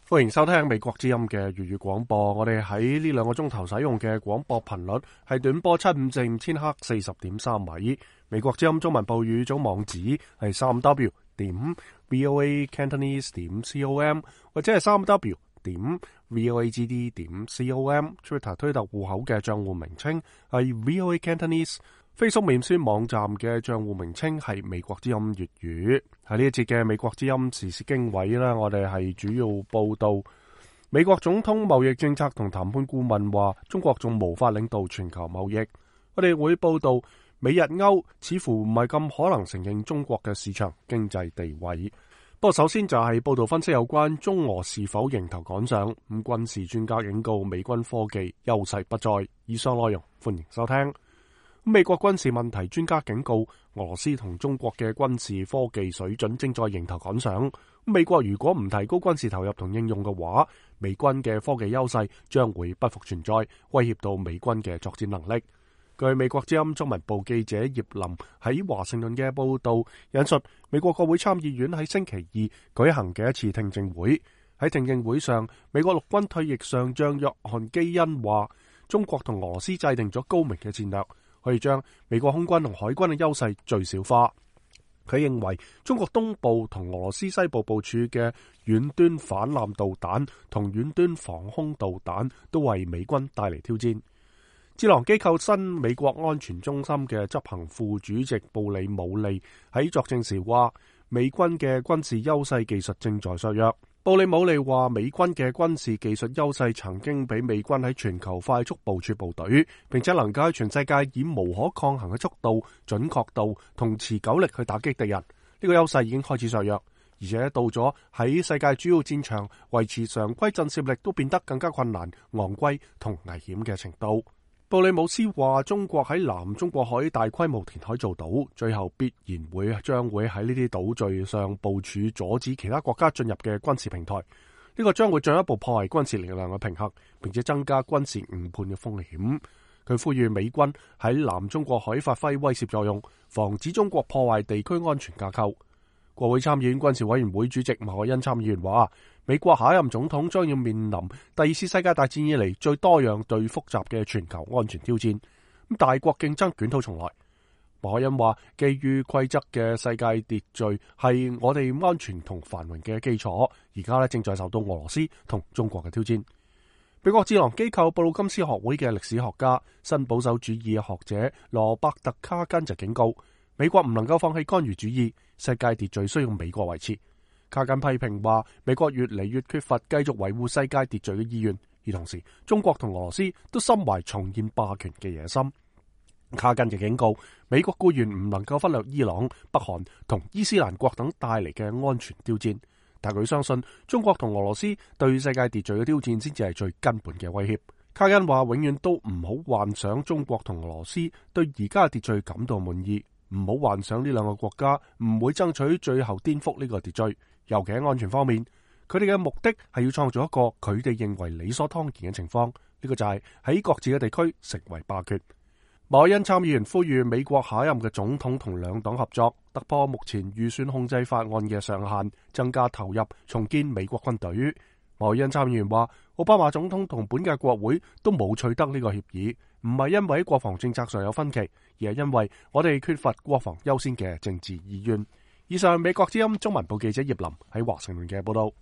歡迎收聽美國之音嘅粵語廣播。我哋喺呢2個鐘頭使用嘅廣播頻率係短波754千赫40.3米。美國之音中文部語組網址係3w.voacantonese.com 或者係3w.voagd.com。Twitter 推特戶口嘅賬戶名稱係 VOA Cantonese。Facebook 面書網站嘅賬戶名稱係美國之音粵語。喺呢一節嘅美國之音時事經緯啦，我哋係主要報道美國總統貿易政策同談判顧問話中國仲無法領導全球貿易。我哋會報道美日歐似乎唔係咁可能承認中國嘅市場經濟地位。不過首先就係報道分析有關中俄是否迎頭趕上。軍事專家警告美軍科技優勢不再。以上內容歡迎收聽。美國軍事問題專家警告，俄羅斯同中國嘅軍事科技水準正在迎頭趕上。美國如果唔提高軍事投入同應用嘅話，美軍嘅科技優勢將會不復存在，威脅到美軍嘅作戰能力。據美國之音中文部記者葉林喺華盛頓嘅報道引述，美國國會參議院喺星期二舉行嘅一次聽證會。喺聽證會上，美國陸軍退役上將約翰基恩話，中國同俄羅斯制定咗高明嘅戰略，可以將美國空軍同海軍嘅優勢最小化。佢認為中國東部同俄羅斯西部部署嘅遠端反艦導彈同遠端防空導彈都為美軍帶嚟挑戰。智囊機構新美國安全中心嘅執行副主席布里姆利喺作證時話，美軍嘅軍事優勢技術正在削弱。布里姆利話，美軍嘅軍事技術優勢曾經俾美軍喺全球快速部署部隊，並且能夠喺全世界以無可抗衡嘅速度、準確度同持久力去打擊敵人。呢個優勢已經開始削弱，而且到咗喺世界主要戰場維持常規震懾力都變得更加困難、昂貴同危險嘅程度。布里姆斯話，中國喺南中國海大規模填海造島，最後必然將會喺呢啲島嶼上部署阻止其他國家進入嘅軍事平台。呢個將會進一步破壞軍事力量嘅平衡，並且增加軍事誤判嘅風險。佢呼籲美軍喺南中國海發揮威懾作用，防止中國破壞地區安全架構。國會參議院軍事委員會主席馬凱恩參議員話，美國下一任總統將要面臨第2次世界大戰以嚟最多樣最複雜嘅全球安全挑戰。大國競爭捲土重來。馬凱恩話，基於規則嘅世界秩序係我哋安全同繁榮嘅基礎，而家正在受到俄羅斯同中國嘅挑戰。美國智囊機構布魯金斯學會嘅歷史學家、新保守主義學者羅伯特卡根就警告，美國唔能夠放棄干預主義，世界秩序需要美國維持。卡根批評話，美國越嚟越缺乏繼續維護世界秩序嘅意願，而同時中國同俄羅斯都心懷重現霸權嘅野心。卡根就警告，美國固然唔能夠忽略伊朗、北韓同伊斯蘭國等帶嚟嘅安全挑戰，但佢相信中國同俄羅斯對世界秩序嘅挑戰先至係最根本嘅威脅。卡根話，永遠都唔好幻想中國同俄羅斯對而家嘅秩序感到滿意，唔好幻想呢2個國家唔會爭取最後顛覆呢個秩序。尤其喺安全方面，佢哋嘅目的係要創造一個佢哋認為理所當然嘅情況，呢個就係喺各自嘅地區成為霸權。馬凱恩參議員呼籲美國下一任嘅總統同兩黨合作，突破目前預算控制法案嘅上限，增加投入，重建美國軍隊。馬凱恩參議員話，奧巴馬總統同本屆國會都冇取得呢個協議，唔係因為喺國防政策上有分歧，而係因為我哋缺乏國防優先嘅政治意願。以上美國之音中文部記者葉林喺華盛頓嘅報道。